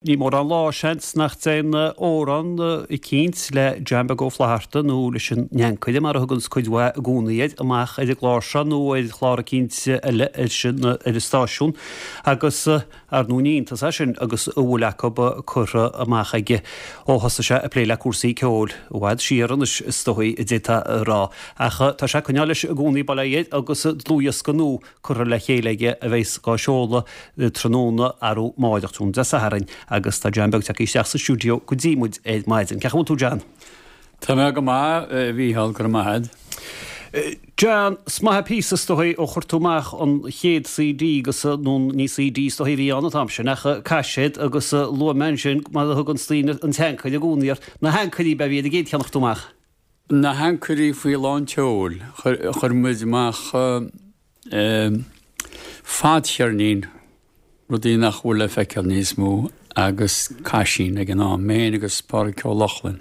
Ní mórán lá, seans, nach dtéann amhrán eicínt le John Beag Ó Flaithearta nó leis an nAncaire, mar a thuganns cuid mhaith i gcónaí air, amach ar an gclár seo nó ar chlár eicínt eile ar an stáisiún agus, ar ndóigh, ní iontas é sin agus a bhfuil acu curtha amach aige ó thosaigh sé ag plé le cúrsaí ceoil, i bhfad siar anois is dóigh a d'fhéadfá a rá. Ach tá sé ag coinneáil leis i gcónaí, bail ó Dhia air, agus dlúthdhiosca nua curtha le chéile aige a bheas dhá sheoladh tráthnóna arú máireach, tráthnóna Dé Sathairn, agus tá John Beag tagtha isteach sa stiúideo go dtí muid ar maidin. Cén chaoi a bhfuil tú John? Tá mé go maith, a Mhícheál, go raibh maith agat. John, is maith an píosa is dóigh ó chuir tú amach an chéad CD agus, nó ní CD is dóigh a bhí ann an t-am sin ach caiséad agus luaigh mé ansin mar a thuganns daoine an tAncaire i gcónaí air, na hAncairí ab ea a bhí ar an gcéad cheann a chuir tú amach. Na hAncairí faoi lán tseoil. Chuir muid amach fadcheirnín, rudaí nach bhfuil le feiceáil níos mó, agus caisín ag an am, mé féin agus Pádraic Ó Lochlainn.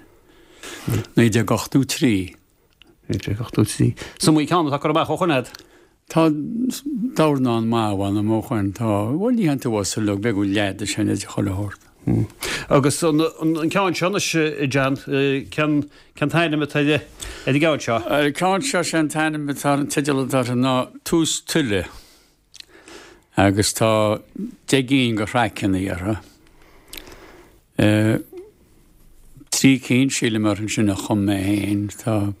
1983. 1983. Is iomaí ceann atá curtha amach ó shoin agat. Tá dornán maith mh'anam ó shoin, tá, bhuel ní théann tú as uilig, b'fhéidir go bhfuil leath de sin idir chuile shórt. Agus an ceann seo anois, John, cén cén t-ainm atá ar an gceann seo? Ar an gceann seo, sé an t-ainm atá ar an teideal atá air ná Tús Tuile agus tá 10 gcinn de thraiceanna orthu. 3 cinn sílim orthu sin a chum mé féin, tá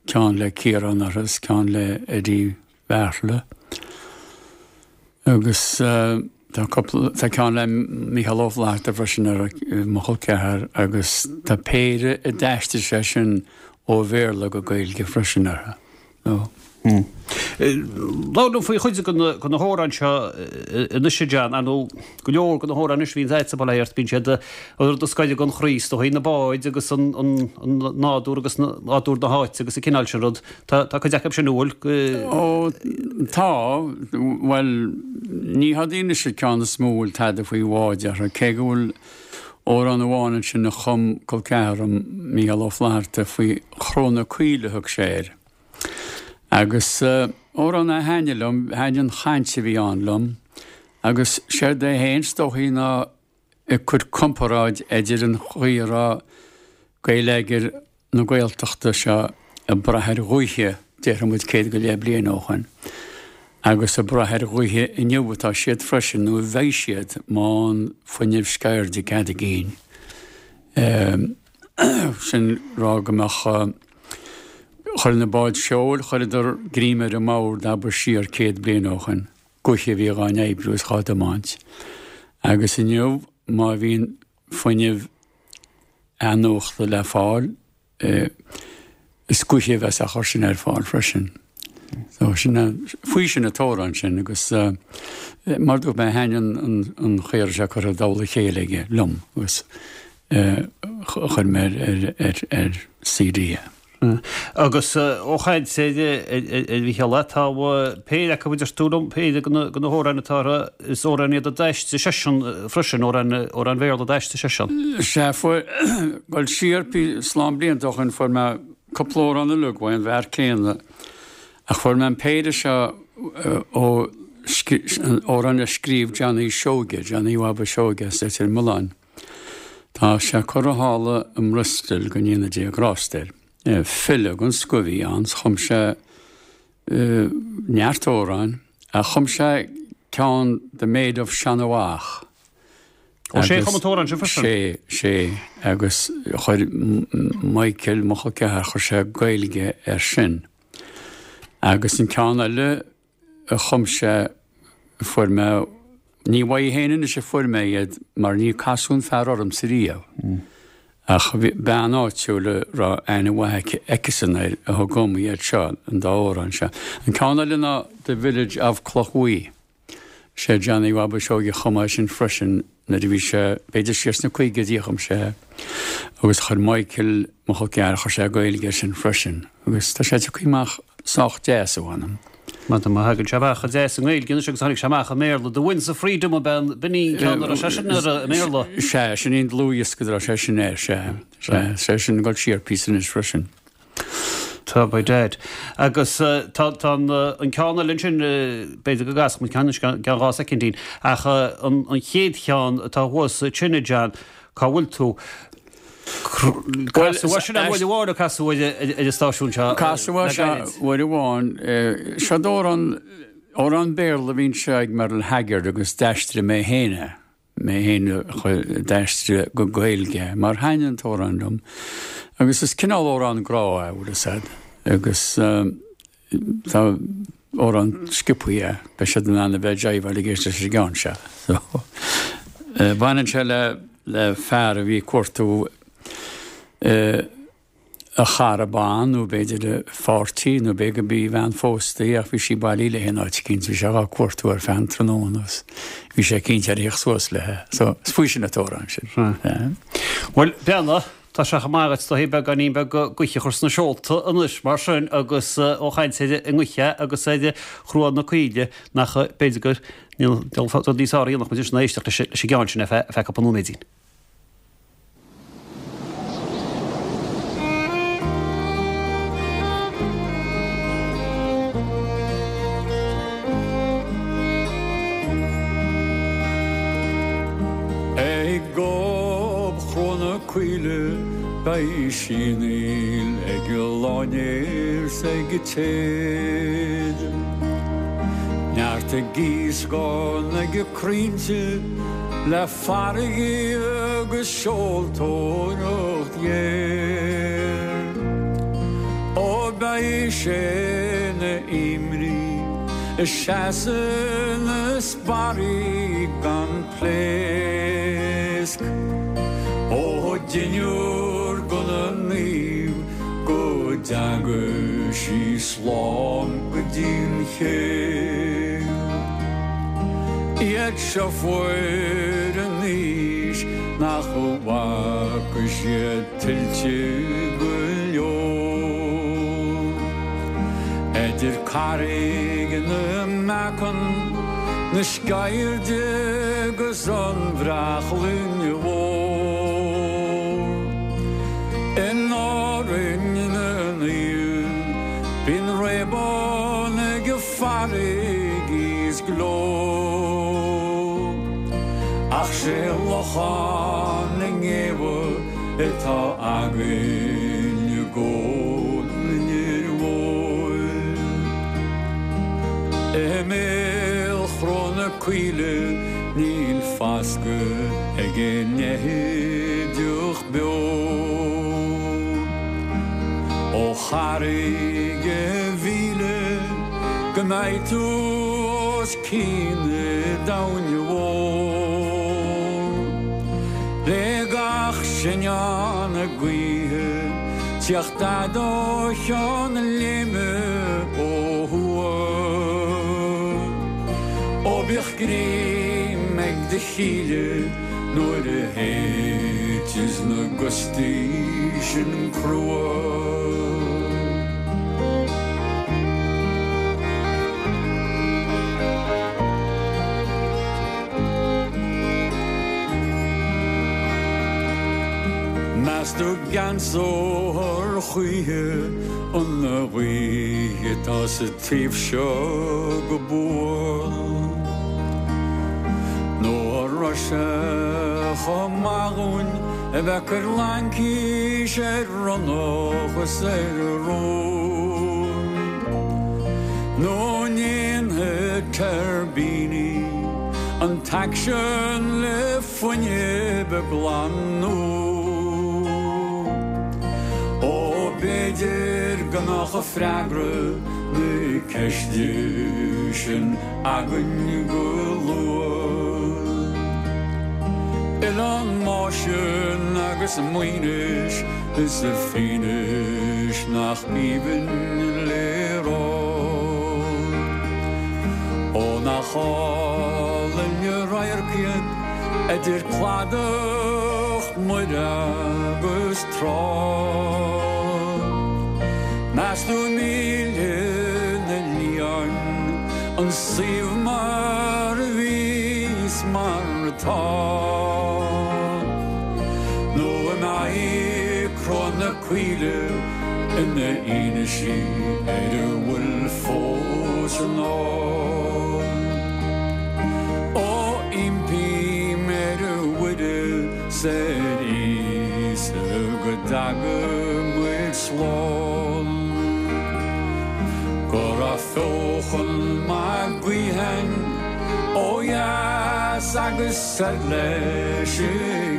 ceann le Ciarán orthu is ceann le Eddie Bheartla agus tá cúpla, tá ceann le Mícheál Ó Flaithearta freisin orthu, mo chol ceathar, agus tá péire a d'aistrigh seisean ó Bhéarla go Gaeilge freisin orthu. So. Labhair liom faoi chuid de na hamhráin seo anois, a John. Ar ndóigh, go leor de na hamhráin anois a bhíonns agatsa, bail ó Dhia ort, bíonn siad an rud a scoirfeadh an chroí, is dóigh, na báid agus an nádúr agus nádúr na háite agus an cineál sin rud. Tá cuid acu sin, an bhfuil? Ó, tá. Bhuel, ní hiad anois an ceann is mó a bhfuil tada faoi bháid orthu, cé go bhfuil amhrán amháin ansin a chum col ceathar liom, Mícheál Ó Flaithearta, faoi Chró na Caoile a thug sé air. Agus amhrán a thaitnigh liom, thaitnigh an chaint a bhí ann liom, agus séard é féin is dóichí ná ag cur comparáid idir an chaoi a raibh geilleagar na Gaeltachta seo ag brath ar ghaoithe, déarfaidh muid 100 go leith bliain ó shoin, agus ag brath ar ghaoithe inniu atá siad freisin, nó a bheidh siad, má fhaigheann fuinneamh sceirde cead a gcinn. Sin rá go mbeadh, chuir na báid seoil, chuireadar greim ar an mbord, abair siar 100 bliain ó shoin. gaoithe a bhí dhá n-oibriú is dhá dtiomáint. Agus inniu má bhíonn fuinneamh athnuachta le fáil, is gaoithe a bheas á chur sin ar fáil freisin. So sin faoi sin an t-amhrán sin agus mar dúirt mé thaitnigh an chaoi a raibh sé curtha i dtoll a chéile aige liom agus chuir mé ar CD é. Agus ó chaint ar Mhícheál, tá péire acu a deir tú liom, péire de na hamhráin atá orthu, is amhráin iad a d'aistrigh seisean freisin, amhráin Bhéarla a d'aistrigh seisean. Sea, fuair, dul siar slán blianta ó shin fuair mé cúpla amhrán uilig uaidh an bhfear céanna ach fuair mé an péire seo ó amhráin a scríobh Johnny Seoige, Johnny Bhaba Seoige as Leitir Mealláin. Tá sé curtha thall i mBristol, go ndéana Dia grásta air. File den scoth a bhí ann, chum sé neart amhráin, ach chum sé ceann The Maid of Shanawah. Ó sé a chum an t-amhrán sin freisin? Sé, sé, agus chuir Michael, mo chol ceathar, chuir sé Gaeilge air sin. Agus an ceann eile, a chum sé, fuair mé, ní uaidh féin anois a fuair mé iad mar ní casadh an fear ormsa riamh, ach bhí bean áitiúil a raibh aithne mhaith aici, aici-san air a thug dhom iad seo, an dá amhrán seo. An ceann eile ná The Village of Clochbhuí. Sé Johnny Bhaba Seoige a chum é sin freisin nuair a bhí sé, b'fhéidir siar sna caogaidí a chum sé é, agus chuir Michael, mo chol ceathar, chuir sé Gaeilge air sin freisin agus tá sé tagtha amach sách deas, a mh'anam. Má thagann sé amach deas i nGaeilge anois agus tháinig sé amach i mBéarla, The Winds of Freedom ab ea an, b'in í an ceann a raibh sé sin air i mBéarla. Sea, sin í an dlúthdhiosca a raibh sé sin air, sea, sea, sé sin ag dul siar píosa anois freisin. Tá by dad. Agus tá tá an an ceann eile ansin, b'fhéidir go gcasfaidh muid ceann anois i gceann 2 soicindín, ach an an chéad cheann atá thuas ansin, a John, cá bhfuil tú? Casadh é sin uair amháin nó casadh ar an stáisiún seo Casadh é seo uair amháin. Seo amhrán amhrán Béarla a bhí anseo ag Merle Haggard agus d'aistrigh mé féin é. Mé féin a d'aistrigh go Gaeilge mar thaitnigh an t-amhrán liom. Agus is cineál amhrán grá é, bhfuil fhios a'd. Agus tá amhrán sciobthaí é, beidh siad in ann a bheith ag jiveáil ag éisteacht leis an gceann seo. So, baineann sé le le fear a bhí ag cuartú a chara ban nó b'fhéidir a pháirtí nó b'fhéidir go b'í bhean phósta í ach bhí sí bailí léi in áit eicínt, bhí sé dhá cuartú ar feadh an tráthnóna agus bhí sé cinnte ar theacht suas léi. So, is faoi sin an t-amhrán sin. Bhuel, Breandán, tá sé chomh maith agat do thaobh beagáinín beag gaoithe a chur sna seolta anois mar sin agus ó chaint ar an ngaoth agus ar Chró na Caoile nach b'fhéidir gur níl rud níos fearr a dhéanfadh muid anois ná éisteacht leis an gceann sin ar feadh cúpla nóiméidín. Ag gob Chró na Caoile beidh sianaíl ag láinnéar 's ag téad. Neart ag gíoscán ag crainnte le farraige agus seoltóireacht ghéar. Ó beidh sé ina imní ag seasamh na sparraí gan pléasc. Ó deichniúr go na naoimh go dteaga sí slán go dtí an ché. Iad seo fuair in aois nach bhfaca siad tuilte go leor. Idir Carraig na mBeacán, na Sceirde agus an Bhreachlainn Mhór. In Árainn na Naomh bíonn réabán ag farraigí is glór. Ach sé Lochán na nGéabha atá againn i gCo. an Fhir Mhóir. I mbéal Chró na Caoile níl fascadh ag an fheithideach beo. Ó Charraig a' Mhíle go mbeidh tú os cionn na domhain mhór. Le gach sinneán na gaoithe teacht fhad ó Cheann Léime ó thuaidh. Ó bíodh greim ag do chíle nuair a théiteas na gustaí sin crua. Meas tú gceansófar choíche an ghaoth atá sa taobh seo go buan? Nó an raibh sé chomh maith dhúinn a bheith ag cur laincis ar ronnach is ar rún? Nó an ndéanfaidh tuirbíní an t-aicsean le fuinneamh glan nua? Ó b'fhéidir go mbeadh freagra na ceiste sin againn go luath. Oileán Máisean agus Maínis is a Féinis nach aoibhinn le rá. Ó nach álainn an radharc iad idir cladach Muire agus trá. Meas tú an millfidh na liáin an suíomh mar a bhí is mar atá? Nó an mbeidh Cró na Caoile. Ina fhianaise ar a bhfuil fós i ndán. Ó impím ar Mhuire 's ar Íosa go dtaga muid slán. Go raibh feochan maith gaoithe ó dheas agus soir leis i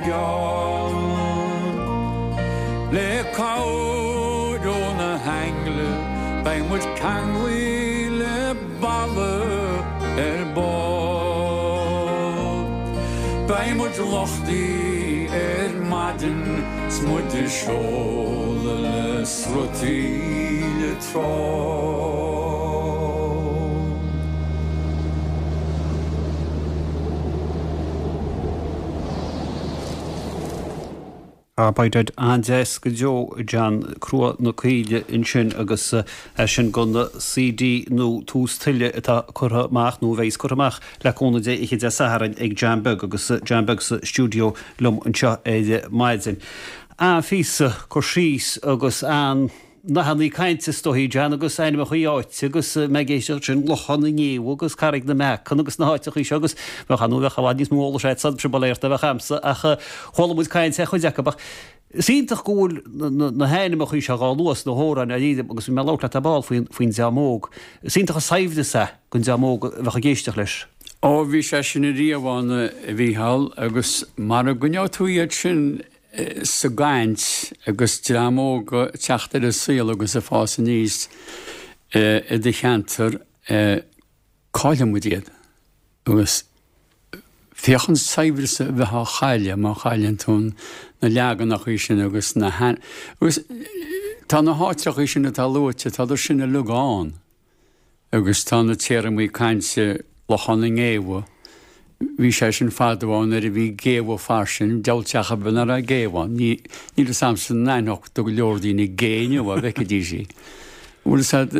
gceann. Le cabhair ó na haingle beidh muid ceanglaithe le balla ar ball. Beidh muid luchtaithe ar maidin 's muid ag seoladh le srutaí le trá. Ah by dad, an-deas go deo John, Crua na Coille ansin agus é sin gon CD nua Tús Tuile atá curtha amach, nó a bheas curtha amach le cúnamh Dé oíche Dé Sathairn ag John Beag agus John Beag sa stiúideo liom anseo ar maidin. An-phíosa cur síos agus an. nathannaí cainte is dóichí, John, agus ainmneachaí áite agus mé ag éisteacht sin, Lochán na nGéabha agus Carraig na mBeacan agus na háiteachaí seo agus bheadh ar ndóigh bheadh i bhfad níos mó eolais agatsa sin ba léir ná bheadh a'msa ach chuala muid caint ar chuid acu ach is iontach go bhfuil na hainmneachaí seo dhá lua sna hamhráin dáiríre agus bhí mé ag labhairt leat ar ball faoin faoin dream óg. Is iontach an saibhreas é don dream óg a bheadh ag éisteacht leis. Ó bhí sé sin ariamh ann a Mhícheál agus mara gcoinneoidh tú iad sin sa gcaint agus dream óg ag teacht ar an saol agus ag fás aníos i do cheantar, caillfidh muid iad. Agus féach an saibhreas a bheith á chailleadh má chailleann tú na leaganachaí sin agus na agus tá na háitreachaí sin atá luaite, tádar sin uilig ann. Agus tá na téarmaí cainte Lochán na nGéabha, bhí sé sin fadó ann nuair a bhí géabha fairsing, deabhal teach ar bith nach raibh géabha ann. Ní, níl fhios a'msa an aithneodh do go leor daoine gé inniu dá bhfeicfidís í. Bhfuil fhios a'd,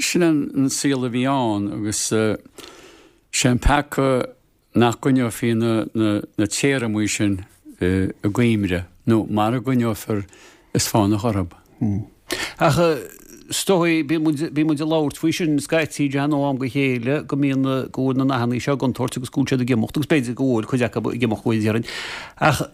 sin an saol a bhí ann agus sé an peaca nach gcoinneofaí na téarmaí sin i gcuimhne, nó mara gcoinneofar is fánach orthu. Ach is dóigh, bíonn muid, bíonn muid ag labhairt faoi sin scaití, John, ó am go chéile, go mbíonn, go bhfuil na nathannaí seo i gcontúirt agus go bhfuil siad ag imeacht, agus b'fhéidir go bhfuil cuid acu ag imeacht go déarfainn. Ach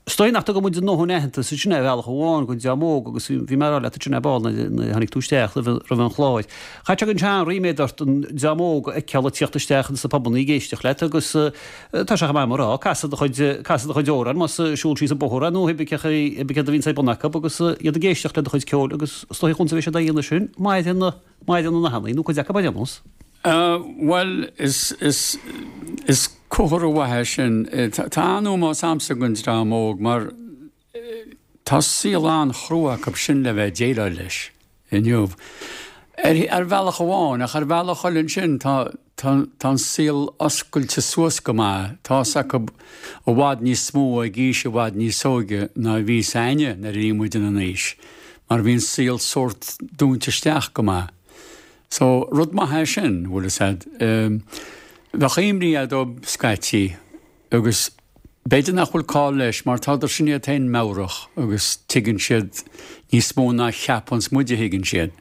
Is dóigh nach dtugann muid a ndóthain aitheantas ansin ar bhealach amháin don dream óg agus bhí mé ag rá leat ansin ar ball nuair a tháinig tú isteach roimh an chlár. Chaithfeadh sé go mbíonn sé an-ríméad ort an dream óg a fheiceáil ag tíocht isteach ins na pubannaí ag éisteacht leat agus tá sé chomh maith mar rá, casadh do chuid, casadh do chuid amhrán más ag siúl síos an bóthar é nó pé cé céard a bhíonns ar bun acu agus iad ag éisteacht le do chuid ceoil agus is dóigh chúns a bheidh siad á dhéanamh sin, maireann na, maireann na nathannaí nó cuid acu ar aon nós. Bhuel, is, is, is comhartha mhaith é sin. Tá an-ómós a'msa don dream óg mar tá saol an-chrua acu sin le bheith ag déileáil leis inniu. Ar, ar bhealach amháin, ach ar bhealach eile ansin tá, tá, tá an saol oscailte suas go maith. Tá fhios acu i bhfad níos mó ag aois i bhfad níos óige ná a bhí fhios a'inne nuair a bhí muid ina n-aois mar bhí an saol sórt dúnta isteach go maith. So, rud maith é sin, bhfuil fhios a'd. Bheadh imní a'd dóibh scaití agus b'fhéidir nach bhfuil call leis mar tádar sin iad féin meabhrach agus tuigeann siad níos mó ná cheapanns muid a thuigeann siad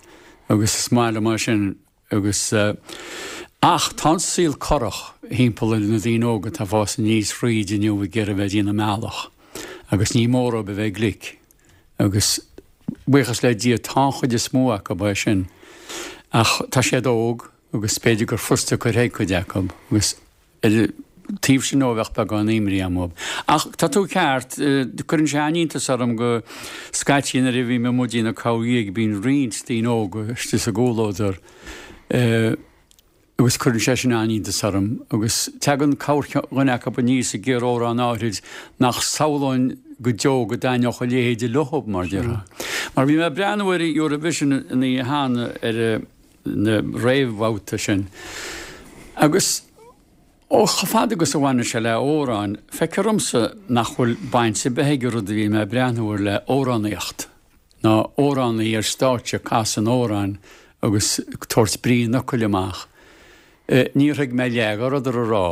agus is maith liom é sin agus ach tá an saol corrach thimpeall ar na daoine óga atá ag fás aníos thríd inniu ag iarraidh bheith ag déanamh a mbealach agus ní mór dóibh a bheith glic. Agus buíochas le Dia tá an chuid is mó acu é sin. Ach tá siad óg agus b'fhéidir gur fusta cur chuig cuid acu agus ar an taobh sin ó bheadh beagán imní agam dóibh. Ach tá tú ceart, cuireann sé an-iontas orm go scaití nuair a bhím amuigh ag déanamh corrdhíog bíonn roinnt daoine óga istigh sa gcomhluadar. Agus cuireann sé sin an-iontas orm. Agus teagann corrdhuine acu aníos ag iarraidh amhrán áithrid nach samhlóinn go deo go dtaitneodh a leithéide leo, mar déarfá. Mar bhí mé ag breathnú ar Eurovision an oíche cheana, ar na réamhbhabhta sin, agus ó chomh fada agus a bhaineann sé le amhráin, feictear dhomsa nach bhfuil baint ar bith ag an rud a bhí mé ag breathnú air le amhránaíocht. ná amhránaí ar stáitse ag casadh an amhráin agus ag tabhairt brí an fhocail amach. Níor thuig mé leath dá rabhadar a rá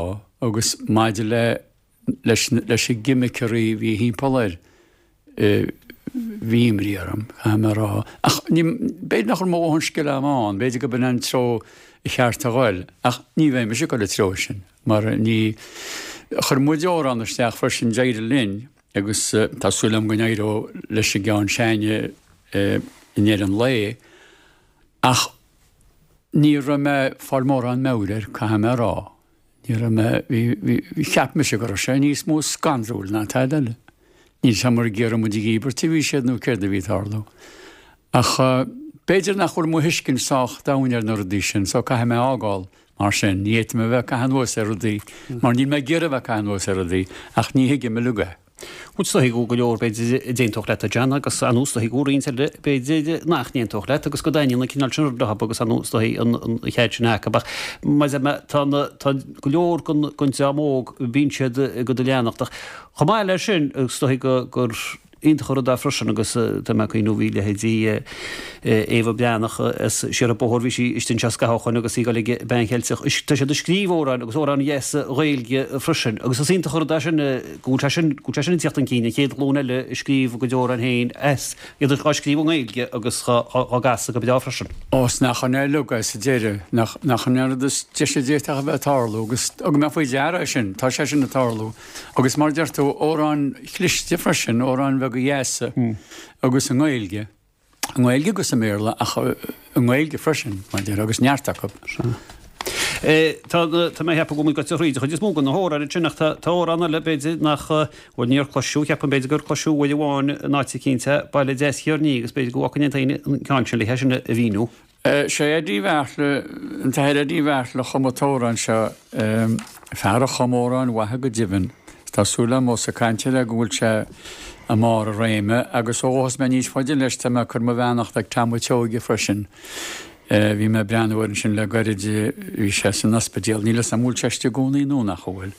agus maidir le leis leis na gimiceanna a bhí thimpeall air. Bhí imní orm, caithfidh mé a rá. Ach ní, b'fhéidir nach raibh mo dhóthain scil agam ann, b'fhéidir go b'in an treo cheart a ghoil, ach ní bheidh mise ag dul an treo sin, mar ní, chuir muid amhrán isteach freisin, d'éirigh linn, agus tá súil agam go n-éireoidh leis an gceann s'againne i ndeireadh an lae, ach ní raibh mé ag fáil mórán meabhair air, caithfidh mé a rá. Ní raibh mé, bhí, bhí, cheap mise go raibh sé níos mó scanrúil ná tada eile. Níl 's a'm ar ag iarraidh muid a dhíbirt a bhí siad nó céard a bhí ag tarlú. Ach b'fhéidir nach bhfuil mo thuiscint sách domhain ar na rudaí sin so caithfidh mé a fhágáil mar sin. Ní fhéadfaidh mé a bheith ag caitheamh anuas ar rudaí mar níl mé ag iarraidh a bheith ag caitheamh anuas ar rudaí ach ní thuigim uilig é. Bhuel, is dóigh go bhfuil go leor, b'fhéidir, a d'aontódh leat, a John, agus ar ndóigh is dóigh go bhfuil roinnt eile, b'fhéidir, nach n-aontódh leat agus go dtaitníonn an cineál sin ruda leob agus ar ndóigh is dóigh an chead sin acu. Ach mar a deir mé, tá na, tá go leor den, den dream óg, bíonn siad ag dul a leanacht. Ach chomh maith leis sin, is dóigh go, gur iontach an rud é freisin agus tá mé ag cuimhniú, bhí leithéidí Éabha Breathnach as siar an bóthar, bhí sí istigh anseo scaitheamh ó shoin agus í ag dul ag Bean Cheilteach. Tá siad ag scríobh amhráin agus amhráin dheasa Ghaeilge freisin agus is iontach an rud é sin go bhfuil sé sin, go bhfuil sé sin ag tíocht chun cinn, an chéad ghlúin eile ag scríobh a gcuid amhrán féin as, iad á scríobh i nGaeilge agus á gcasadh go breá freisin. Ó 's nach in é uilig é sa deireadh, nach, nach in é an rud is deise a d'fhéadfadh a bheith ag tarlú agus thug mé faoi deara é sin, tá sé sin ag tarlú agus mar a deir tú, amhráin chliste freisin, amhráin bheaga dheasa agus i nGaeilge. I nGaeilge agus i mBéarla ach i nGaeilge freisin, mar a déarfá, agus neart acu. Sea. Tá, tá mé ag ceapadh go bhfuil muid gaibhte thríd an chuid is mó de na hamhráin ansin ach tá, tá amhrán eile b'fhéidir nach, bhuel níor cloiseadh, ceapaim b'fhéidir gur cloiseadh uair amháin in áit eicínt é, Baile Deas Thiar Ní agus b'fhéidir go bhfaca aon duine an ceann sin le é sin a mhíniú. Sé Eddie Bheartla, an tAthair Eddie Bheartla a chum an t-amhrán seo, fear a chum amhráin mhaithe go deimhin. Tá súil agam ós ag caint air go bhfuil sé i mbarr a réime agus ó ghabhfas mé níos faide leis tá mé ag cur mo bheannacht ag Tom a' tSeoighe freisin. Bhí mé ag breathnú air ansin le gairid, bhí sé san ospidéal, níl 'fhios a'm an bhfuil sé istigh i gcónaí nó nach bhfuil.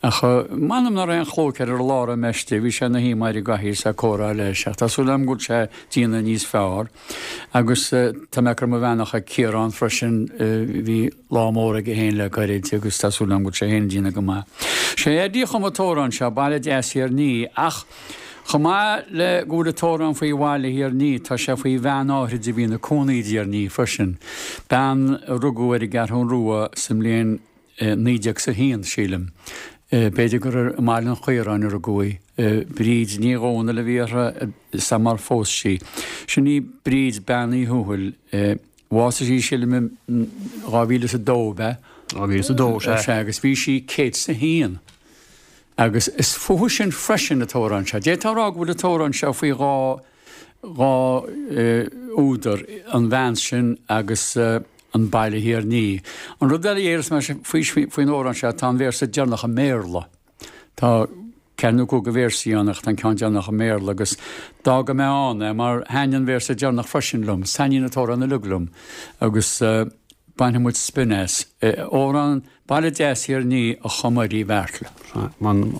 Ach m'anam nach raibh aon chlóic air ar an lá a raibh mé istigh, bhí sé ina shuí i gcathaoir is ag comhrá leis ach tá súil agam go bhfuil sé ag déanamh níos fearr. Agus tá mé ag cur mo bheannacht ag Ciarán freisin, bhí lá mór aige féin le gairid agus tá súil agam go bhfuil sé féin ag déanamh go maith. Sé Eddie a chum an t-amhrán seo, Baile Deas Thír an Fhia, ach chomh maith le go bhfuil an t-amhrán faoi bhaile Thír an Fhia, tá sé faoi bhean áithrid a bhí ina cónaí i dTír an Fhia freisin, bean a rugadh ar an gCeathrún Rua sa mbliain 1901, sílim. B'fhéidir gur i mBaile an Chaoráin a rugadh í. Bríd Ní Dhomhnaill a bhí uirthi samar phós sí. Sin í Bríd Bean Uí Thuathail. Bhásaigh sí, sílim, i 2002, ab ea? 2002, sea. Sea, agus bhí sí 101. Agus is fúithi sin freisin an t-amhrán seo. D'fhéadfá a rá go bhfuil an t-amhrán seo faoi dhá 2 údar, an bhean sin agus an baile Thír an Fhia. An rud eile a déarfas mé faoin amhrán seo, tá an véarsa deireanach i mBéarla. Tá ceathair nó cúig de véarsaí ann ach tá an ceann deireanach i mBéarla agus d'fhága mé ann é mar thaitnigh an véarsa deireanach freisin liom. Taitníonn an t-amhrán uilig liom agus bainfidh muid spion as. Amhrán Baile Deas Thír an Fhia a chum Eddie Bheartla. M'anam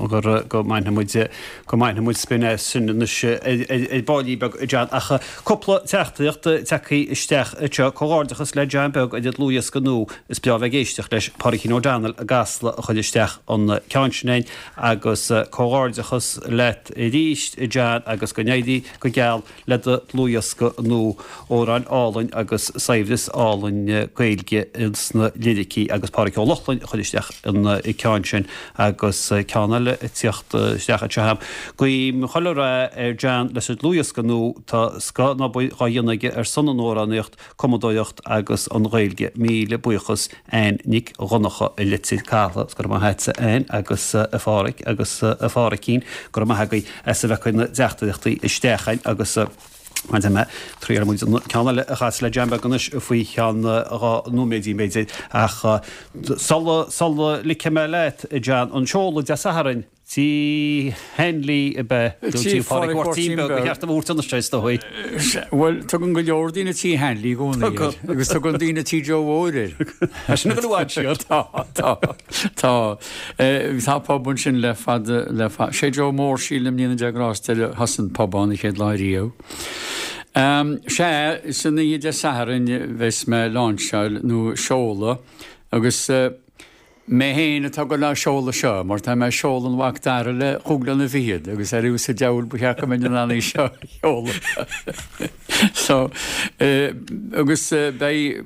go mbainfidh muid, go mbainfidh muid spion as sin anois ar baillín beag, a John. Ach cúpla teachtaireacht tagtha isteach anseo. Comhghairdeachas le John Beag ar an dlúthdhiosca nua. Is breá bheith ag éisteacht leis. Pádraigín O'Donnell i gCasla a chuir isteach an ceann sin againn. Agus comhghairdeachas leat arís, a John, agus go n-éirí go geal le do dhlúthdhiosca nua, amhráin álainn agus saibhreas álainn Gaeilge sna liricí agus Pádraic Ó Lochlainn a chuir isteach an ceann sin agus ceann eile ag tíocht isteach anseo agam. Guím chuile rath ar John leis an dlúthdhiosca nua, tá scoth an obair dhá dhéanamh aige ar son an amhránaíocht, cumadóireacht agus an Ghaeilge. Míle buíochas Ann Nic Dhonncha i Leitir Cathail. Go raibh maith agatsa Ann agus a Phádhraic agus a Phádhraicín. Go raibh maith agaibh as a bheith ag cur na dteachtaireachtaí isteach againn agus mar a deir mé, triailfidh muid an ceann eile a chasadh le John Beag anois faoi cheann 2 nóiméidín b'fhéidir ach sula sula ligfidh mé leat a John an seoladh Dé Sathairn Tí Hanley ab ea? Nó Tí Phádraig Mháirtín Beag, ba cheart dom a thabhairt anois é is dóigh. Bhuel, tugann go leor daoine Tí Hanley i gcónaí air. Agus tugann daoine Tí Joe Mhóir air. Tá sin ag dul i bhfad siar. Tá, tá, tá. Tá pub ansin le fada, le fada. Sé Joe Mór, sílim, Dia a ghrást air a thosaigh an pub ann an chéad lá riamh. Sea, san oíche Dé Sathairn bheas mé ag láinseáil nó seoladh agus. Mé féin atá ag dul á seoladh seo, mar tá mé ag seoladh an Mhac Dara le chúig bliana fichead, agus ar fhios an diabhal ba cheart go mbeinn in ann í seo a sheoladh. So, agus beidh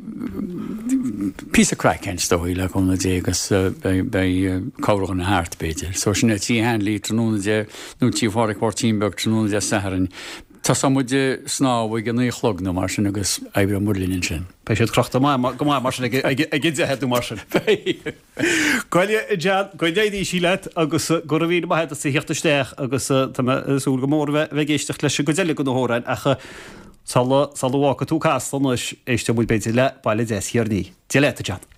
píosa craic ann is dóigh, le cúnamh Dé, agus beidh, beidh corrdhuine thart, b'fhéidir. So sin é Tigh Hanley tráthnóna Dé, nó Tigh Phádraic Mháirtín Beag tráthnóna Dé Sathairn. Tosóidh muid ag snámh ag a naoi a chlog nó mar sin agus oibreoidh muid linn ansin. Beidh siad crochta go maith mar sin ag a deich nó mar sin. Beidh. Gabh i leith a John, go n-éirí sí leat agus go raibh míle maith agat as a theacht isteach agus tá mé ag súil go mór a bheith ag éisteacht leis an gcuid eile de na hamhráin ach sula sula bhfágfaidh tú Casla anois, éisteoidh muid b'fhéidir le Baile Deas Thiar Nighe. Dia leat a John.